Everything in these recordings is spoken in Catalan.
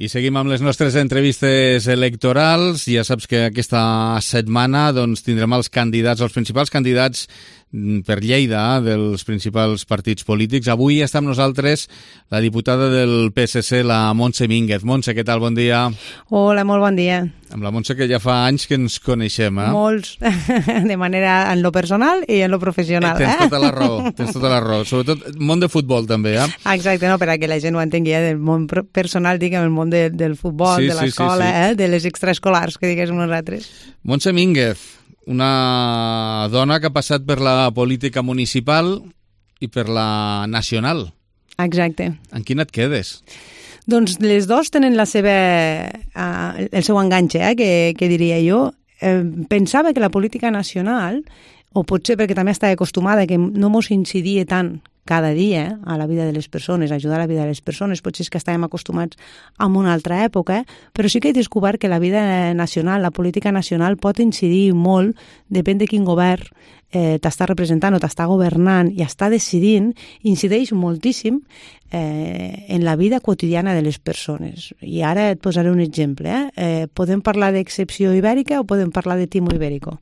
I seguim amb les nostres entrevistes electorals. Ja saps que aquesta setmana tindrem els principals candidats per Lleida dels principals partits polítics. Avui està amb nosaltres la diputada del PSC, la Montse Mínguez. Montse, què tal? Bon dia. Hola, molt bon dia. Amb la Montse, que ja fa anys que ens coneixem, eh? Molts, de manera en lo personal i en lo professional. Tens tota la raó, Sobretot món de futbol, també, eh? Exacte, no, per a que la gent ho entengui, del món personal, diguem, el món del futbol, de l'escola, de les extraescolars, que diguéssim nosaltres. Montse Mínguez, una dona que ha passat per la política municipal i per la nacional. Exacte. En quina et quedes? Doncs les dos tenen el seu enganxe, que diria jo. Pensava que la política nacional, o potser perquè també estava acostumada que no mos incidia tant cada dia a la vida de les persones, ajudar a la vida de les persones, potser és que estàvem acostumats a una altra època, però sí que he descobert que la vida nacional, la política nacional pot incidir molt, depèn de quin govern t'està representant o t'està governant i està decidint, incideix moltíssim en la vida quotidiana de les persones. I ara et posaré un exemple. Podem parlar d'excepció ibèrica o podem parlar de timo ibèrico?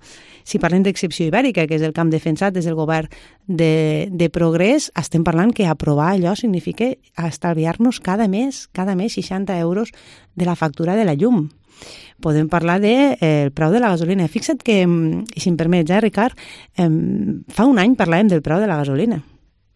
Si parlem d'excepció ibèrica, que és el camp defensat des del govern de Progrés, estem parlant que aprovar allò significa estalviar-nos cada mes 60 euros de la factura de la llum. Podem parlar del preu de la gasolina. Fixa't que, si em permets, Ricard, fa un any parlàvem del preu de la gasolina,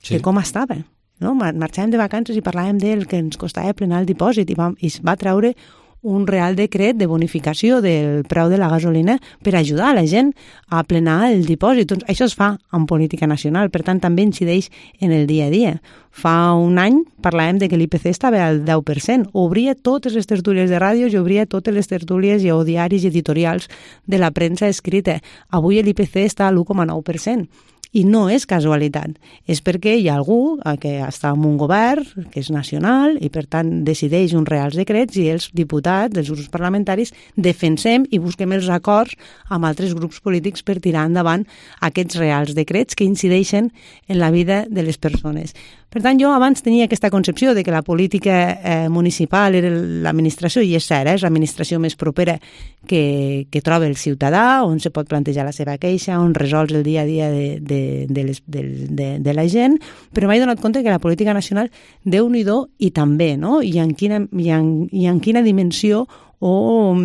de com estava. No? Marxàvem de vacances i parlàvem del que ens costava plenar el dipòsit i es va treure un real decret de bonificació del preu de la gasolina per ajudar a la gent a plenar el dipòsit. Doncs això es fa en política nacional, per tant també incideix en el dia a dia. Fa un any parlàvem de que l'IPC estava al 10%. Obria totes les tertúlies de ràdio i obria totes les tertúlies o diaris i editorials de la premsa escrita. Avui l'IPC està al 1,9%. I no és casualitat, és perquè hi ha algú que està en un govern, que és nacional, i per tant decideix uns reals decrets i els diputats, els grups parlamentaris, defensem i busquem els acords amb altres grups polítics per tirar endavant aquests reals decrets que incideixen en la vida de les persones. Per tant, jo abans tenia aquesta concepció de que la política municipal era l'administració, i és cert, és l'administració més propera que troba el ciutadà, on se pot plantejar la seva queixa, on resols el dia a dia de la gent, però m'he donat compte que la política nacional, Déu-n'hi-do, i també, no? I en quina dimensió o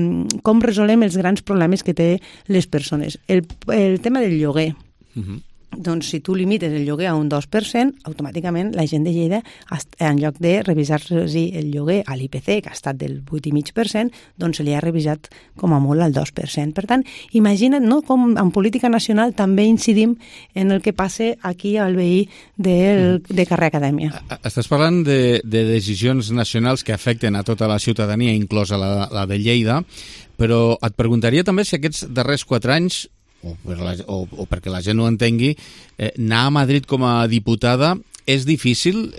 com resolem els grans problemes que té les persones. El tema del lloguer. Doncs si tu limites el lloguer a un 2%, automàticament la gent de Lleida, en lloc de revisar-se el lloguer a l'IPC, que ha estat del 8,5%, doncs se li ha revisat com a molt al 2%. Per tant, imagina't, no?, com en política nacional també incidim en el que passa aquí al veí de carrer Acadèmia. Estàs parlant de decisions nacionals que afecten a tota la ciutadania, inclosa la de Lleida, però et preguntaria també si aquests darrers 4 anys o perquè la gent ho entengui, anar a Madrid com a diputada és difícil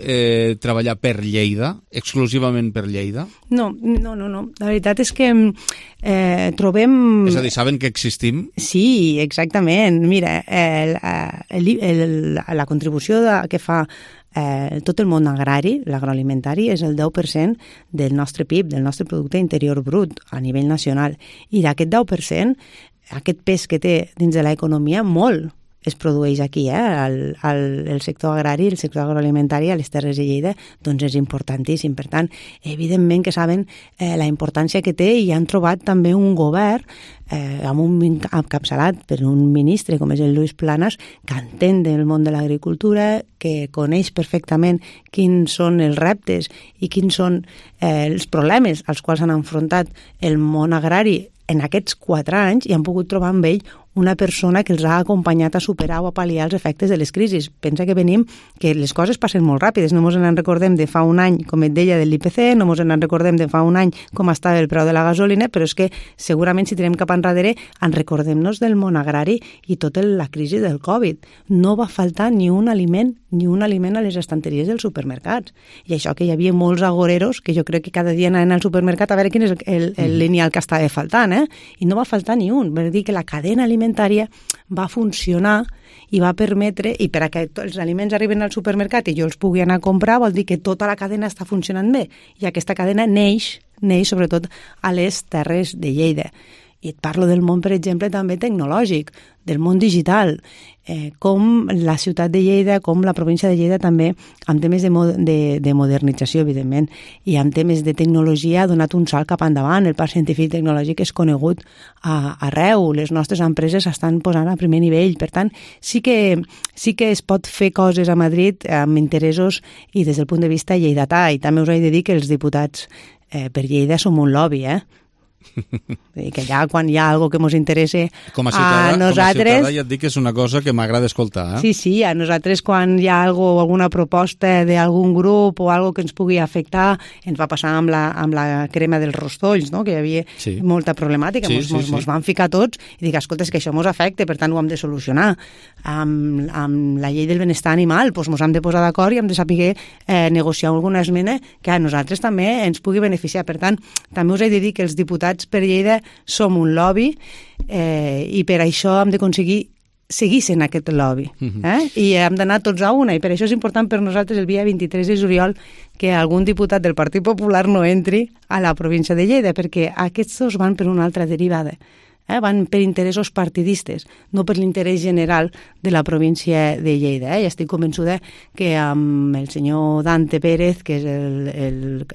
treballar per Lleida, exclusivament per Lleida? No. La veritat és que trobem... És a dir, saben que existim? Sí, exactament. Mira, la contribució que fa tot el món agrari, l'agroalimentari, és el 10% del nostre PIB, del nostre producte interior brut a nivell nacional. I d'aquest 10%, aquest pes que té dins de l'economia, molt es produeix aquí, el sector agrari, el sector agroalimentari a les Terres de Lleida, doncs és importantíssim. Per tant, evidentment que saben la importància que té i han trobat també un govern encapçalat per un ministre com és el Lluís Planas, que entén del món de l'agricultura, que coneix perfectament quins són els reptes i quins són els problemes als quals han enfrontat el món agrari en aquests 4 anys i han pogut trobar amb ell una persona que els ha acompanyat a superar o a pal·liar els efectes de les crisis. Pensa que que les coses passen molt ràpides, no ens en recordem de fa un any, com et deia, de l'IPC, no ens en recordem de fa un any com estava el preu de la gasolina, però és que segurament si tirem cap enrere en recordem-nos del món agrari i tota la crisi del Covid. No va faltar ni un aliment a les estanteries dels supermercats. I això que hi havia molts agoreros que jo crec que cada dia anaven al supermercat a veure quin és el lineal que estava faltant, i no va faltar ni un. Vol dir que la cadena alimentària va funcionar i va permetre, i per a que els aliments arriben al supermercat i jo els pugui anar a comprar, vol dir que tota la cadena està funcionant bé. I aquesta cadena neix neix sobretot a les terres de Lleida. I et parlo del món, per exemple, també tecnològic, del món digital, com la ciutat de Lleida, com la província de Lleida també, amb temes de modernització, evidentment, i amb temes de tecnologia ha donat un salt cap endavant. El parc científic tecnològic és conegut arreu, les nostres empreses estan posant a primer nivell, per tant, sí que es pot fer coses a Madrid amb interessos i des del punt de vista lleidatà, i també us he de dir que els diputats per Lleida som un lobby, que ja quan hi ha alguna que ens interessa com a nosaltres... Com a ciutadà ja et dic que és una cosa que m'agrada escoltar. Sí, a nosaltres quan hi ha alguna proposta d'algun grup o alguna que ens pugui afectar, ens va passar amb la crema dels rostolls, no? Que hi havia molta problemàtica, ens van ficar tots i dic, escolta, és que això ens afecta, per tant ho hem de solucionar. Amb la llei del benestar animal, doncs ens hem de posar d'acord i hem de saber negociar alguna esmena que a nosaltres també ens pugui beneficiar. Per tant, també us he de dir que els diputats per Lleida som un lobby i per això hem d'aconseguir seguir sent aquest lobby. I hem d'anar tots a una, i per això és important per nosaltres el dia 23 de juliol que algun diputat del Partit Popular no entri a la província de Lleida, perquè aquests dos van per una altra derivada. Van per interessos partidistes, no per l'interès general de la província de Lleida. I estic convençuda que amb el senyor Dante Pérez, que és el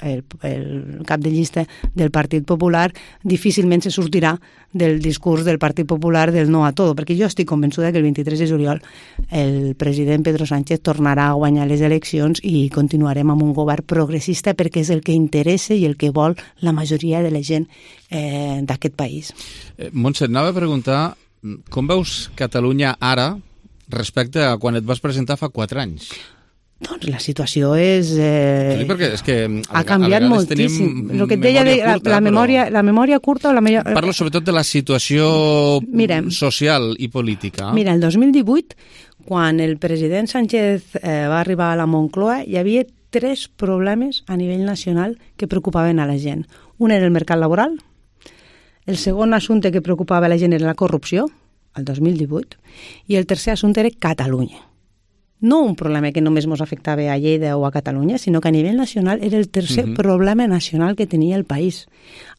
cap de llista del Partit Popular, difícilment se sortirà del discurs del Partit Popular del no a tot, perquè jo estic convençuda que el 23 de juliol el president Pedro Sánchez tornarà a guanyar les eleccions i continuarem amb un govern progressista, perquè és el que interessa i el que vol la majoria de la gent d'aquest país. Montse, anava a preguntar com veus Catalunya ara respecte a quan et vas presentar fa 4 anys? Doncs la situació és... perquè és que ha canviat moltíssim. El que et deia la memòria curta o la millor... Parlo sobretot de la situació social i política. Mira, el 2018, quan el president Sánchez va arribar a la Moncloa, hi havia 3 problemes a nivell nacional que preocupaven a la gent. Un era el mercat laboral, el segon assumpte que preocupava la gent era la corrupció, el 2018, i el tercer assumpte era Catalunya. No un problema que només ens afectava a Lleida o a Catalunya, sinó que a nivell nacional era el tercer problema nacional que tenia el país.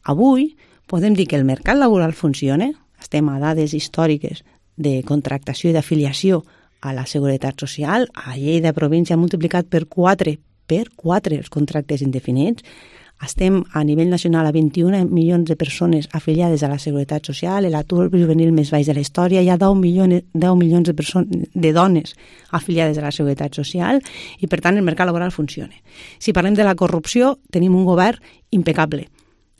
Avui podem dir que el mercat laboral funciona, estem a dades històriques de contractació i d'afiliació a la Seguretat Social, a Lleida província ha multiplicat per 4 els contractes indefinits, estem a nivell nacional a 21 milions de persones afiliades a la Seguretat Social, l'atur juvenil més baix de la història, hi ha 10 milions de dones afiliades a la Seguretat Social i, per tant, el mercat laboral funciona. Si parlem de la corrupció, tenim un govern impecable.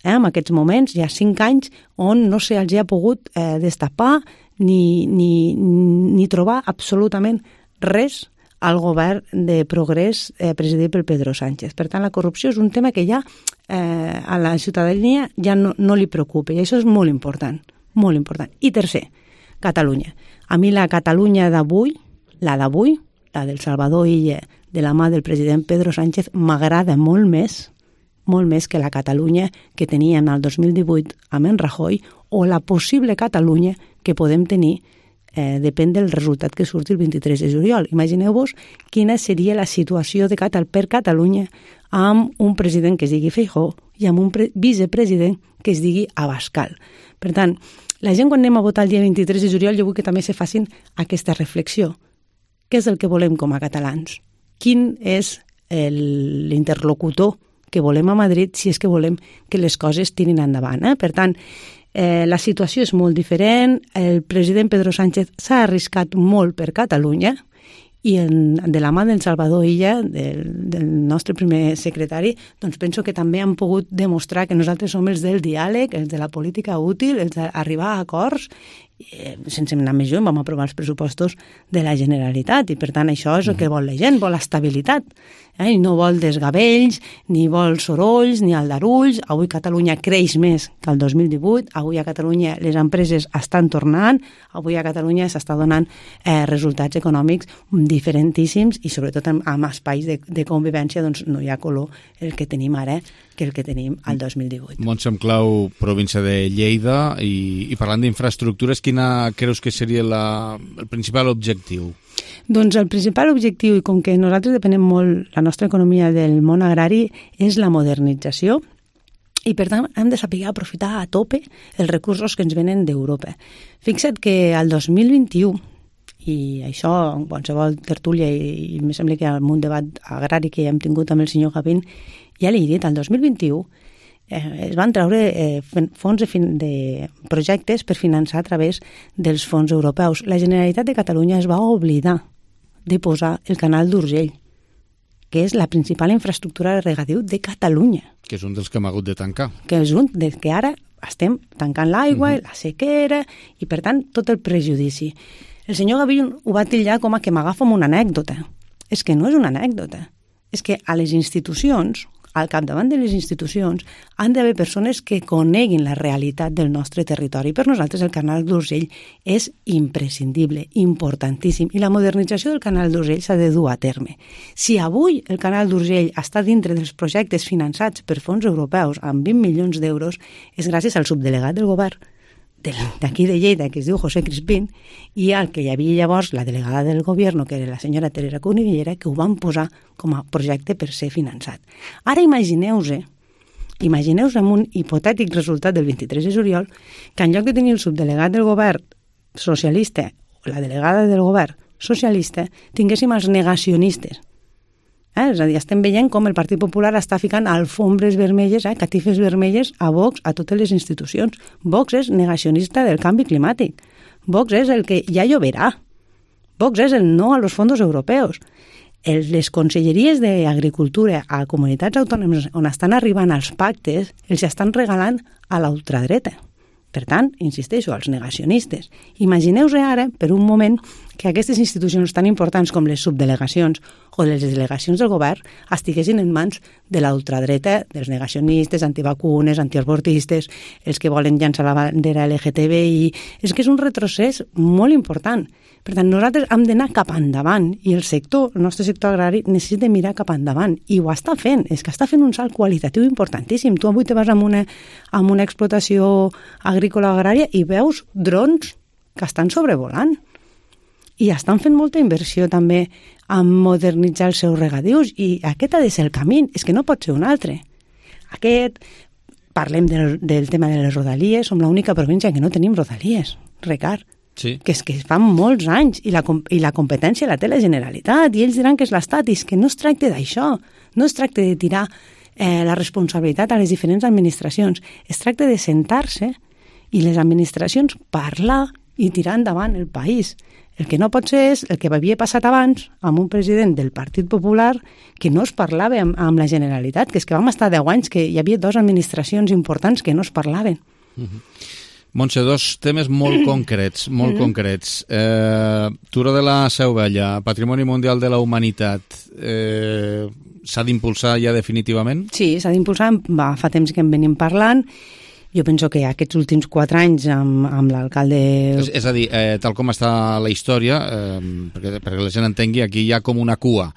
En aquests moments hi ha 5 anys on no se'ls ha pogut destapar ni trobar absolutament res al govern de progrés presidit pel Pedro Sánchez. Per tant, la corrupció és un tema que ja a la ciutadania ja no li preocupa, i això és molt important, molt important. I tercer, Catalunya. A mi la Catalunya d'avui, la del Salvador Illa, de la mà del president Pedro Sánchez, m'agrada molt més que la Catalunya que teníem el 2018 amb en Rajoy, o la possible Catalunya que podem tenir depèn del resultat que surti el 23 de juliol. Imagineu-vos quina seria la situació per Catalunya amb un president que es digui Feijóo i amb un vicepresident que es digui Abascal. Per tant, la gent quan anem a votar el dia 23 de juliol jo vull que també se facin aquesta reflexió. Què és el que volem com a catalans? Quin és l'interlocutor que volem a Madrid si és que volem que les coses tirin endavant? Per tant, la situació és molt diferent, el president Pedro Sánchez s'ha arriscat molt per Catalunya i de la mà del Salvador Illa, del nostre primer secretari, doncs penso que també han pogut demostrar que nosaltres som els del diàleg, els de la política útil, els d'arribar a acords. Sense anar més lluny, vam aprovar els pressupostos de la Generalitat i per tant això és el que vol la gent, vol estabilitat. I no vol desgavells, ni vol sorolls, ni aldarulls. Avui Catalunya creix més que el 2018, avui a Catalunya les empreses estan tornant, avui a Catalunya s'està donant resultats econòmics diferentíssims i sobretot amb espais de convivència doncs no hi ha color el que tenim ara que el que tenim al 2018. Montse Clau, província de Lleida, i parlant d'infraestructures, quina creus que seria el principal objectiu? Doncs el principal objectiu, i com que nosaltres depenem molt la nostra economia del món agrari, és la modernització I, per tant, hem de saber aprofitar a tope els recursos que ens venen d'Europa. Fixa't que al 2021, i això en qualsevol tertúlia i em sembla que en un debat agrari que hem tingut amb el senyor Gavín, ja l'he dit, al 2021 es van treure fons de projectes per finançar a través dels fons europeus. La Generalitat de Catalunya es va oblidar de posar el canal d'Urgell, que és la principal infraestructura de regadiu de Catalunya. Que és un dels que hem hagut de tancar. Que és un des que ara estem tancant l'aigua, la sequera, i per tant tot el prejudici. El senyor Gavín ho va titllar com a que m'agafo amb una anècdota. És que no és una anècdota. És que a les institucions, al capdavant de les institucions, han d'haver persones que coneguin la realitat del nostre territori. Per nosaltres el canal d'Urgell és imprescindible, importantíssim, i la modernització del canal d'Urgell s'ha de dur a terme. Si avui el canal d'Urgell està dintre dels projectes finançats per fons europeus amb 20 milions d'euros, és gràcies al subdelegat del govern d'aquí de Lleida, que es diu José Crispín, i al que hi havia llavors la delegada del govern, que era la senyora Teresa Cunillera, que ho van posar com a projecte per ser finançat. Ara imagineu-vos amb un hipotètic resultat del 23 de juliol, que en lloc de tenir el subdelegat del govern socialista o la delegada del govern socialista, tinguéssim els negacionistes. És a dir, estem veient com el Partit Popular està ficant alfombres vermelles, catifes vermelles a Vox, a totes les institucions. Vox és negacionista del canvi climàtic. Vox és el que ja lloverà. Vox és el no a los fondos europeus. Les conselleries d'Agricultura a comunitats autònomes on estan arribant els pactes els estan regalant a la ultradreta. Per tant, insisteixo, als negacionistes. Imagineu-vos ara, per un moment, que aquestes institucions tan importants com les subdelegacions o les delegacions del govern estiguessin en mans de la ultradreta, dels negacionistes, antivacunes, antiavortistes, els que volen llançar la bandera LGTBI. És que és un retrocés molt important. Per tant, nosaltres hem d'anar cap endavant i el nostre sector agrari necessita mirar cap endavant i ho està fent, és que està fent un salt qualitatiu importantíssim. Tu avui te vas amb una explotació agrícola agrària i veus drons que estan sobrevolant i estan fent molta inversió també en modernitzar els seus regadius i aquest ha de ser el camí, és que no pot ser un altre. Parlem del tema de les rodalies, som l'única província que no tenim rodalies, Ricard. Sí. Que és que fan molts anys i la competència la té la Generalitat i ells diran que és l'Estat i és que no es tracta d'això, no es tracta de tirar la responsabilitat a les diferents administracions, es tracta de sentar-se i les administracions parlar i tirar endavant el país. El que no pot ser és el que havia passat abans amb un president del Partit Popular que no es parlava amb la Generalitat, que és que vam estar 10 anys que hi havia 2 administracions importants que no es parlaven. Montse, 2 temes molt concrets, concrets. Turó de la Seu Vella, Patrimoni Mundial de la Humanitat, s'ha d'impulsar ja definitivament? Sí, s'ha d'impulsar, fa temps que en venim parlant. Jo penso que aquests últims 4 anys amb l'alcalde... És a dir, tal com està la història, perquè la gent entengui, aquí hi ha com una cua.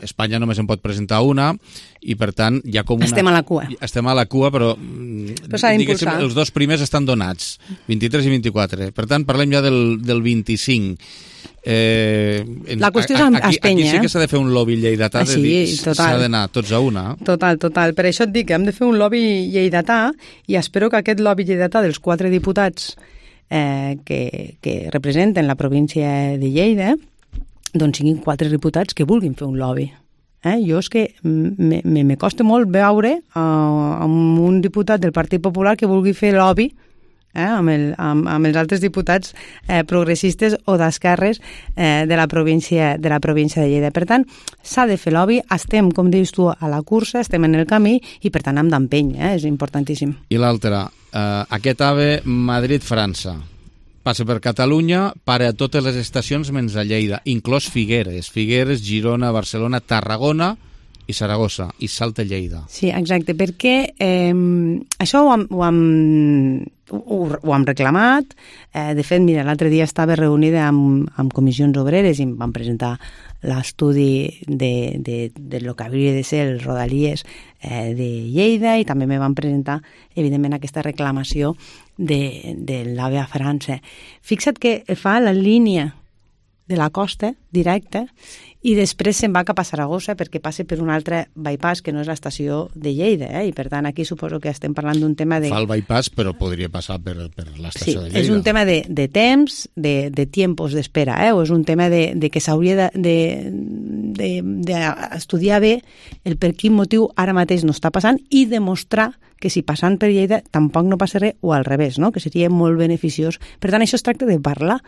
Espanya només en pot presentar una i, per tant, hi ha com una... Estem a la cua. Estem a la cua, però diguéssim, els 2 primers estan donats, 23 i 24. Per tant, parlem ja del 25. La qüestió és Espanya. Aquí sí que s'ha de fer un lobby lleidatà, s'ha d'anar tots a una. Total. Per això et dic que hem de fer un lobby lleidatà i espero que aquest lobby lleidatà dels 4 diputats que representen la província de Lleida doncs siguin 4 diputats que vulguin fer un lobby. Jo és que me costa molt veure amb un diputat del Partit Popular que vulgui fer lobby amb els altres diputats progressistes o d'esquerres de la província de Lleida. Per tant, s'ha de fer lobby, estem, com dius tu, a la cursa, estem en el camí i per tant hem d'empènyer, és importantíssim. I l'altre, aquest AVE Madrid-França passa per Catalunya, para a totes les estacions menys a Lleida, inclòs Figueres, Girona, Barcelona, Tarragona i Saragossa, i salta Lleida. Sí, exacte, perquè això ho hem reclamat. De fet, mira, l'altre dia estava reunida amb comissions obreres i em van presentar l'estudi de lo que hauria de ser els rodalies de Lleida i també me van presentar, evidentment, aquesta reclamació de l'AVE a França. Fixa't que fa la línia de la costa directa i després se'n va cap a Saragossa perquè passa per un altre bypass que no és l'estació de Lleida, i per tant aquí suposo que estem parlant d'un tema de... Fa el bypass però podria passar per l'estació de Lleida. És un tema de temps, de tiempos d'espera, o és un tema de que s'hauria d'estudiar bé el per quin motiu ara mateix no està passant i demostrar que si passant per Lleida tampoc no passa res o al revés, no? Que seria molt beneficiós. Per tant, això es tracta de parlar.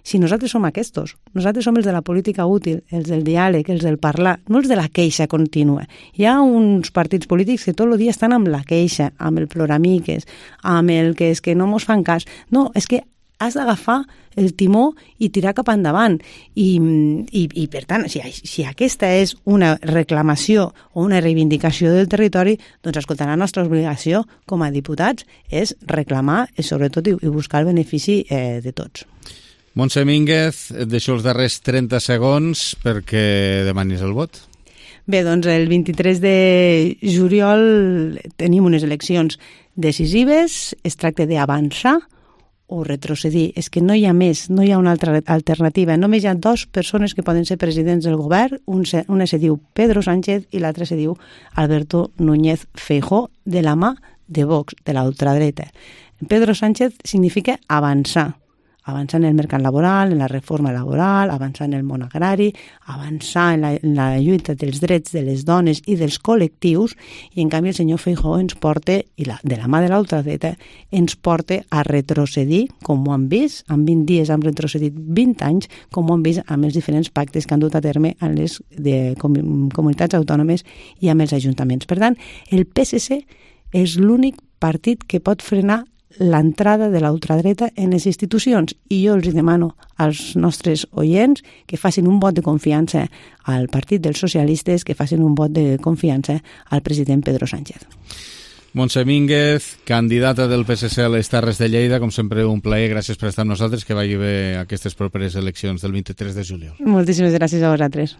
Si nosaltres som aquests, nosaltres som els de la política útil, els del diàleg, els del parlar, no els de la queixa contínua. Hi ha uns partits polítics que tot el dia estan amb la queixa, amb el ploramiques, amb el que és que no mos fan cas. No, és que has d'agafar el timó i tirar cap endavant. I per tant, si aquesta és una reclamació o una reivindicació del territori, doncs escoltar, la nostra obligació com a diputats és reclamar, sobretot, i buscar el benefici de tots. Montse Mínguez, et deixo els darrers 30 segons perquè demanis el vot. Bé, doncs el 23 de juliol tenim unes eleccions decisives, es tracta d'avançar o retrocedir. És que no hi ha més, no hi ha una altra alternativa. Només hi ha dues persones que poden ser presidents del govern, una se diu Pedro Sánchez i l'altra se diu Alberto Núñez Feijóo, de la mà de Vox, de la ultradreta. Pedro Sánchez significa avançar en el mercat laboral, en la reforma laboral, avançar en el món agrari, avançar en la lluita dels drets de les dones i dels col·lectius, i en canvi el senyor Feijóo ens porta, i de la mà de l'ultradreta, ens porta a retrocedir, com ho han vist, en 20 dies hem retrocedit 20 anys, com ho han vist amb els diferents pactes que han dut a terme en les comunitats autònomes i amb els ajuntaments. Per tant, el PSC és l'únic partit que pot frenar l'entrada de la ultradreta en les institucions, i jo els demano als nostres oients que facin un vot de confiança al Partit dels Socialistes, que facin un vot de confiança al president Pedro Sánchez. Montse Mínguez, candidata del PSC a les Terres de Lleida, com sempre un plaer, gràcies per estar amb nosaltres, que vagi bé aquestes properes eleccions del 23 de juliol. Moltíssimes gràcies a vosaltres.